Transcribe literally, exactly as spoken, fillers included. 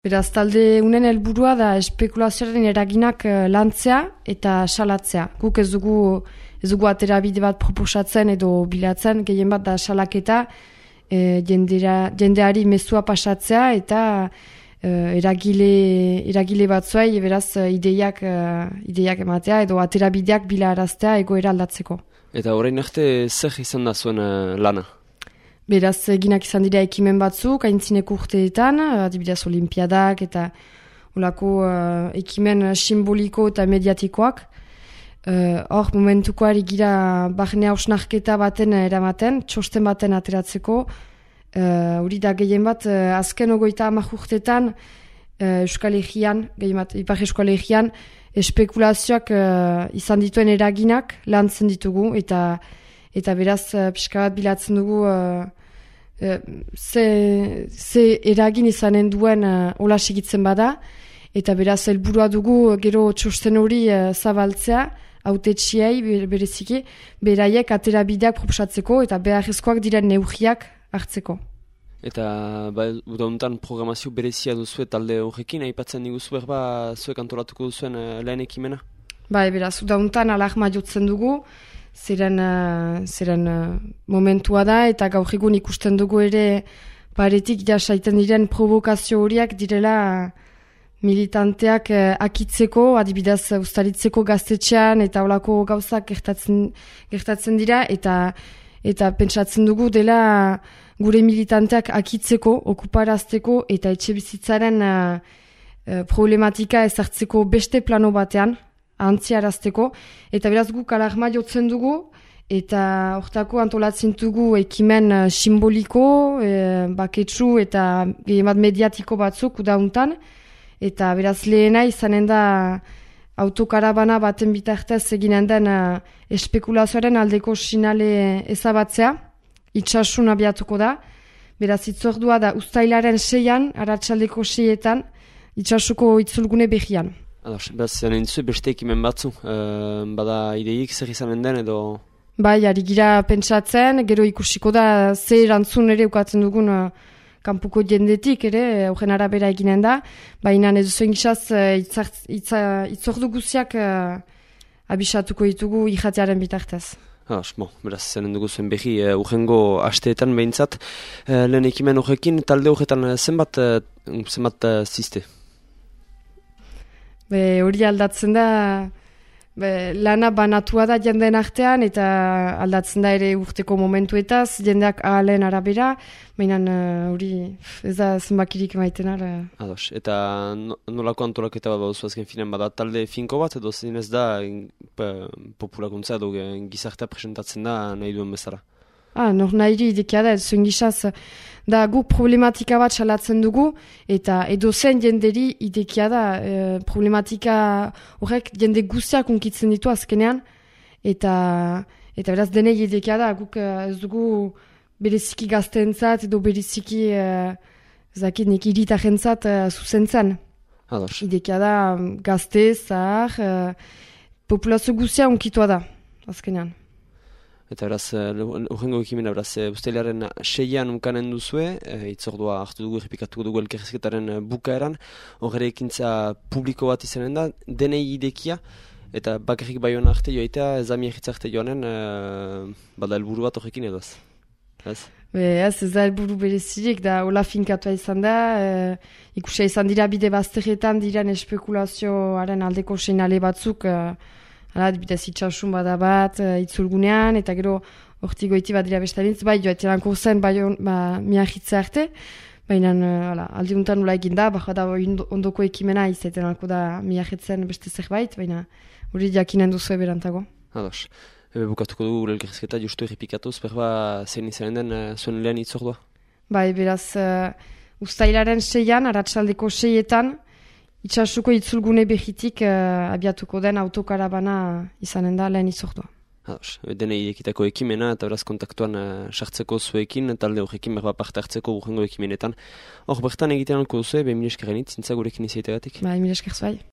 Beraz, talde unen helburua da espekulazioaren eraginak lantzea eta salatzea. Guk ez dugu, ez dugu atera bide bat proposatzen edo bilatzen, gehien bat da salaketa, e, jendera, jendeari mezua pasatzea eta e, eragile, eragile batzuei beraz ideiak, ideiak ematea edo atera bideak bilaraztea egoera aldatzeko. Eta orain arte zer izan da zuen uh, lana? Beraz, eginak izan dira ekimen batzuk, aintzineko urteetan, adibidez olimpiadak eta olako uh, ekimen simboliko eta mediatikoak. Hor, uh, momentukoari gira barne hausnarketa baten eramaten, txosten baten ateratzeko. Hori uh, da gehien bat, uh, azken ogoita amak urteetan, uh, Euskal Herrian, gehien bat, Ipar Euskal Herrian, espekulazioak uh, izan dituen eraginak lantzen ditugu, eta eta beraz, uh, pixka bat bilatzen dugu uh, Ze, ze eragin izanen duen uh, hola segitzen bada, eta beraz helburua dugu gero txosten hori uh, zabaltzea, hautetsiei bereziki, beraiek atera bideak proposatzeko eta beharrezkoak diren neurriak hartzeko. Eta ba, udahuntan programazio berezia duzu talde horrekin, aipatzen diguzu berba zuek antolatuko duzuen uh, lehen ekimena? Bai, beraz, udahuntan alarma jotzen dugu, Zeren, uh, zeren uh, momentua da eta gaur egun ikusten dugu ere paretik ja saiten diren provokazio horiak direla uh, militanteak uh, akitzeko, adibidez ustaritzeko gaztetxean eta olako gauzak gertatzen, gertatzen dira eta eta pentsatzen dugu dela uh, gure militanteak akitzeko, okuparazteko eta etxe bizitzaren uh, uh, problematika ezartzeko beste plano batean, antziarazteko, eta beraz guk alarma jotzen dugu, eta hortako antolatzen dugu ekimen uh, simboliko, e, baketsu eta gehiemat mediatiko batzuk udauntan, eta beraz lehena izanen da autokarabana baten bitartez eginen den uh, espekulazioaren aldeko sinale ezabatzea, itxasun abiatuko da, beraz itzordua da ustailaren seian, aratsaldeko seietan, itxasuko itzulgune behian. Ados, beraz, zanen duzu beste ekimen batzu, e, bada ideik zer izanen den edo... Bai, ari gira pentsatzen, gero ikusiko da ze erantzun ere ukatzen dugun uh, kanpuko jendetik ere, horren arabera eginen da, baina ez zuen gizaz uh, itzordu guziak uh, abisatuko ditugu ijatearen bitartez. Ados, bon, beraz, zanen dugu zuen behi uh, urrengo asteetan behintzat, uh, lehen ekimen horrekin, talde horretan zenbat, uh, zenbat uh, ziste? Be, hori aldatzen da, be, lana banatua da jendeen artean eta aldatzen da ere urteko momentuetaz, jendeak ahalen arabera, baina hori uh, ez da zenbakirik maiten ara. Ados, eta nolako antolaketa bat baduzu azken finan bada talde finko bat edo zinez da populakuntza edo gizartea presentatzen da nahi duen bezala? Ah, nor nahi idekia da, zuen gizaz, da guk problematika bat salatzen dugu, eta edo zen jenderi idekia da, e, problematika horrek jende guztiak unkitzen ditu azkenean, eta eta beraz denei idekia da, guk ez dugu bereziki gazteentzat edo bereziki e, zakit nik iritarentzat e, zuzentzen. Ados. Idekia da gazte, zahar, e, populazio guztia unkitua da, azkenean. Eta beraz, urrengo ekimena, beraz, ustailaren seian unkanen duzue, e, itzordua hartu dugu, errepikatuko dugu elkarrizketaren bukaeran, horre ekintza publiko bat izanen da, denei idekia, eta bakarrik baiona arte joaitea, ez ami egitza arte joanen, e, bada helburu bat horrekin edo ez? Ez? Be, ez, ez da helburu berezirik, da hola finkatua izan da, e, ikusia izan dira bide bazterretan diren espekulazioaren aldeko seinale batzuk, e, Hala, bidez itxasun bada bat, uh, itzulgunean, eta gero hortik goiti bat dira bestalintz, bai, joatelanko zen, bai, on, ba, miahitze arte, baina uh, aldiuntan nula egin da, baka da ondoko ekimena izatelanko da miahitzen beste zerbait, baina hori jakinen duzu eberantago. Ados, ebe bukatuko dugu gure elkarrizketa justu errepikatuz, berba zein izanen den uh, zuen lehen itzordua? Bai, beraz, uh, ustailaren seian, aratsaldeko seietan, itxasuko itzulgune behitik uh, abiatuko den autokarabana izanen da lehen itzordua. Ados, denei ekitako ekimena eta beraz kontaktuan sartzeko uh, zuekin, talde horrekin berba parte hartzeko urrengo ekimenetan. Hor bertan egiten alko duzu, be mil eskerrenit, zintza gurekin izaitegatik. Bai, mil esker zuai.